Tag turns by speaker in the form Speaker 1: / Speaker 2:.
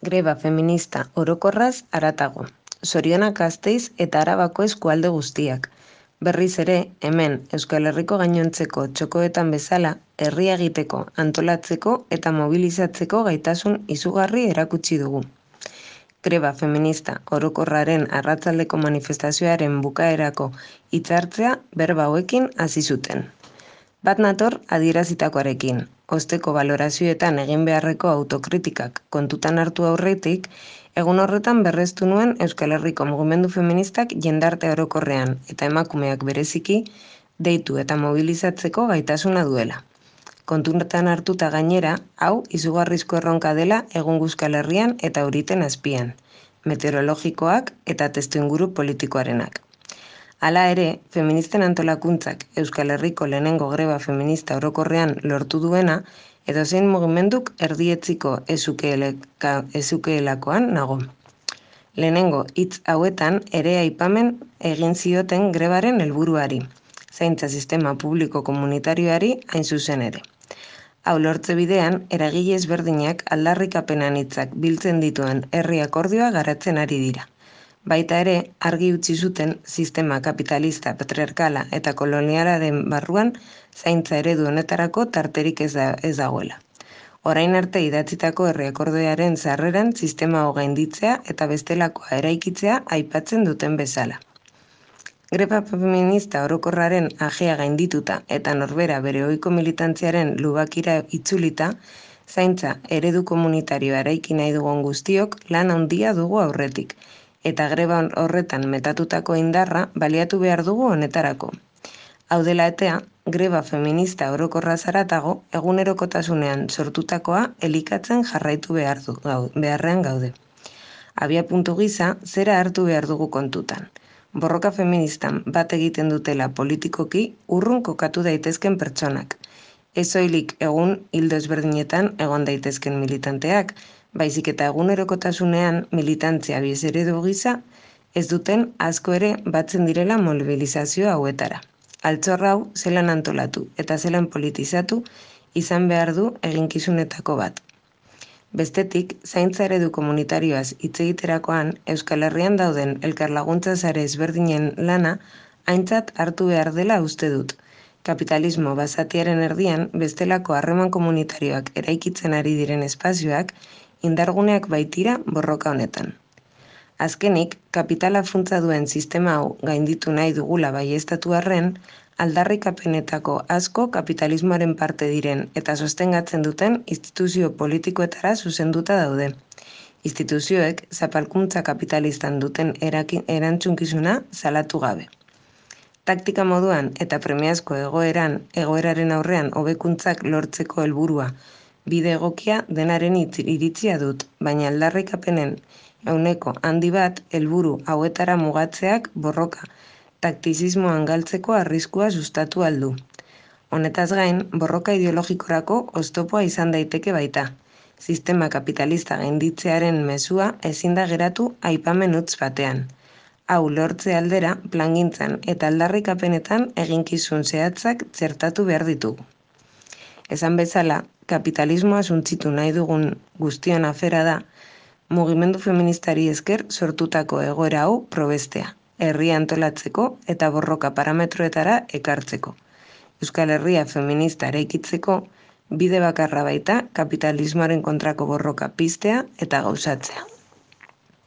Speaker 1: Greba feminista orokorraz haratago. Zorionak Gasteiz eta Arabako eskualde guztiak. Berriz ere, hemen Euskal Herriko gainontzeko txokoetan bezala, herria egiteko, antolatzeko eta mobilizatzeko gaitasun izugarri erakutsi dugu. Greba feminista orokorraren arratsaldeko manifestazioaren bukaerako hitzartzea berba hauekin hasi zuten. Bat nator adierazitakoarekin, osteko balorazioetan egin beharreko autokritikak kontutan hartu aurretik, egun horretan berreztu nuen Euskal Herriko mugimendu feministak jendarte orokorrean eta emakumeak bereziki deitu eta mobilizatzeko gaitasuna duela. Kontutan hartuta gainera, hau izugarrizko erronka dela egun Euskal Herrian eta euriten azpian, meteorologikoak eta testuinguru politikoarenak. Hala ere, feministen antolakuntzak Euskal Herriko lehenengo greba feminista orokorrean lortu duena, edozein mugimenduk erdietziko ezukeelakoan nago. Lehenengo hitz hauetan ere aipamen egin zioten grebaren helburuari, zaintza sistema publiko komunitarioari hain zuzen ere. Hau lortze bidean, eragile ezberdinak aldarrikapenan hitzak biltzen dituen herri akordioa garatzen ari dira. Baita ere, argi utzi zuten sistema kapitalista, patriarkala eta kolonialaren barruan zaintza eredu honetarako tarterik ez dagoela. Orain arte idatzitako herri akordioaren sarreran sistema hau gainditzea eta bestelakoa eraikitzea aipatzen duten bezala. Greba feminista orokorraren ajea gaindituta eta norbera bere ohiko militantziaren lubakira itzulita, zaintza eredu komunitarioa eraiki nahi dugun guztiok lan handia dugu aurretik, eta greba horretan metatutako indarra baliatu behar dugu honetarako. Hau dela eta, greba feminista orokorraz haratago, egunerokotasunean sortutakoa elikatzen jarraitu beharrean gaude. Abiapuntu gisa, zera hartu behar dugu kontutan. Borroka feministan bat egiten dutela politikoki urrun kokatu daitezken pertsonak. Ez soilik egun ildo ezberdinetan egon daitezken militanteak, baizik eta egunerokotasunean militantzia eredu gisa ez duten asko ere batzen direla mobilizazio hauetara. Altxor hau zelan antolatu eta zelan politizatu izan behar du eginkizunetako bat. Bestetik, zaintza eredu komunitarioaz hitz egiterakoan Euskal Herrian dauden elkarlaguntza sare ezberdinen lana aintzat hartu behar dela uste dut. Kapitalismo basatiaren erdian bestelako harreman komunitarioak eraikitzen ari diren espazioak indarguneak baitira borroka honetan. Azkenik, kapitala funtsa duen sistema hau gainditu nahi dugula baieztatu arren, aldarrikapenetako asko kapitalismoaren parte diren eta sostengatzen duten instituzio politikoetara zuzenduta daude. Instituzioek zapalkuntza kapitalistan duten erantzunkizuna salatu gabe. Taktika moduan eta premiazko egoeraren aurrean hobekuntzak lortzeko helburua bide egokia denaren iritzia dut, baina aldarrikapenen ehuneko handi bat helburu hauetara mugatzeak borroka taktizismoan galtzeko arriskua sustatu aldu. Honetaz gain, borroka ideologikorako oztopoa izan daiteke baita. Sistema kapitalista gainditzearen mezua ezin da geratu aipamen utz batean. Hau lortze aldera, plangintzan eta aldarrikapenetan eginkizun zehatzak txertatu behar ditugu. Esan bezala, kapitalismoa suntzitu nahi dugun guztion afera da, mugimendu feministari esker sortutako egoera hau probestea, herria antolatzeko eta borroka parametroetara ekartzeko. Euskal Herria feminista eraikitzeko bide bakarra baita kapitalismoaren kontrako borroka piztea eta gauzatzea.